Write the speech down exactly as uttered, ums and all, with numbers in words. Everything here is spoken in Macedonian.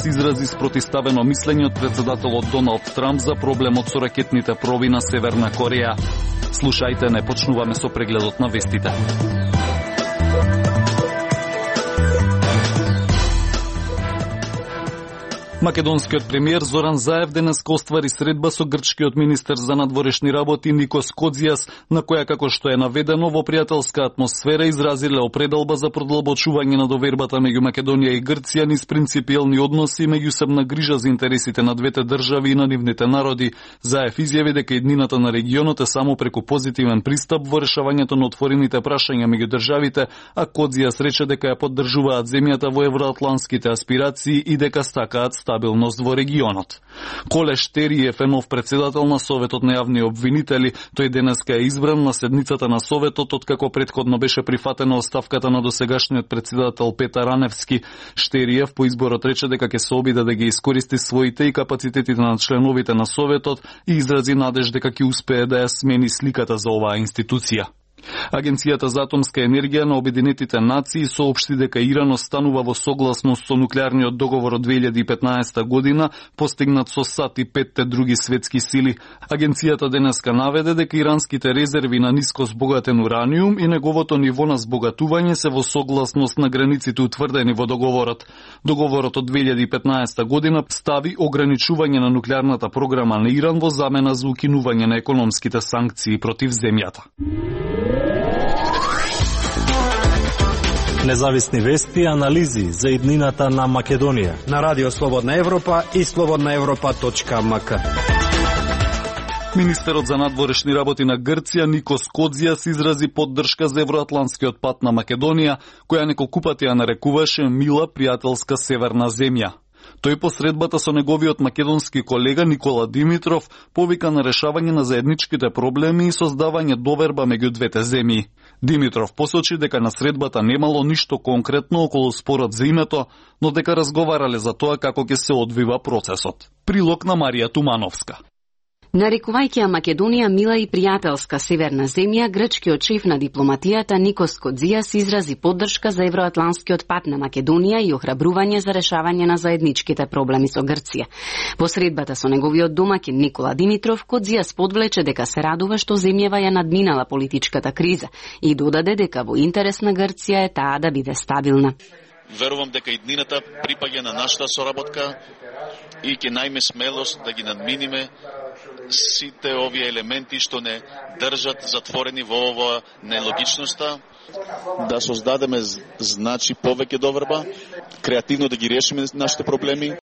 изрази спротиставено мислење од председателот Доналд Трамп за проблемот со ракетните проби на Северна Кореја. Слушајте, не почнуваме со прегледот на вестите. Македонскиот премиер Зоран Заев денеска оствари средба со грчкиот министер за надворешни работи Никос Кодзијас, на која, како што е наведено, во пријателска атмосфера изразиле определба за продолбочување на довербата меѓу Македонија и Грција низ принципиелни односи и меѓусебна грижа за интересите на двете држави и на нивните народи. Заев изјави дека иднината на регионот е само преку позитивен пристап во решавањето на отворените прашања меѓу државите, а Кодзијас рече дека ја поддржуваат земјата во евроатлантските аспирации и дека стакаат стабилност во регионот. Колеш Териев е нов председател на Советот на јавни обвинители. Тој денеска е избран на седницата на Советот, откако претходно беше прифатена оставката на досегашниот председател Петар Раневски. Штериев по изборот рече дека ќе се обиде да ги искористи своите и капацитетите на членовите на Советот и изрази надеж дека ќе успее да ја смени сликата за оваа институција. Агенцијата за атомска енергија на Обединетите нации соопшти дека Иран останува во согласност со нуклеарниот договор од две илјади и петнаесета година, постигнат со САД и петте други светски сили. Агенцијата денеска наведе дека иранските резерви на ниско збогатен ураниум и неговото ниво на збогатување се во согласност на границите утврдени во договорот. Договорот од две илјади и петнаесета година стави ограничување на нуклеарната програма на Иран во замена за укинување на економските санкции против земјата. Независни вести и анализи за иднината на Македонија на Радио Слободна Европа и слободна европа точка ем ка. Министерот за надворешни работи на Грција Никос Кодзијас изрази поддршка за евроатлантскиот пат на Македонија, која неколку пати ја нарекуваше мила пријателска северна земја. Тој по средбата со неговиот македонски колега Никола Димитров повика на решавање на заедничките проблеми и создавање доверба меѓу двете земји. Димитров посочи дека на средбата немало ништо конкретно околу спорот за името, но дека разговарале за тоа како ќе се одвива процесот. Прилог на Марија Тумановска. Нарекувајќи ја Македонија мила и пријателска северна земја, грчкиот шеф на дипломатијата Никос Кодзијас изрази поддршка за евроатлантскиот пат на Македонија и охрабрување за решавање на заедничките проблеми со Грција. По средбата со неговиот домаќин Никола Димитров, Кодзијас подвлече дека се радува што земјава ја надминала политичката криза и додаде дека во интерес на Грција е таа да биде стабилна. Верувам дека иднината припаѓа на нашата соработка и ќе најме смелост да ги надминиме сите овие елементи што не држат затворени во ова нелогичноста, да создадеме значи повеќе доверба, креативно да ги решиме нашите проблеми.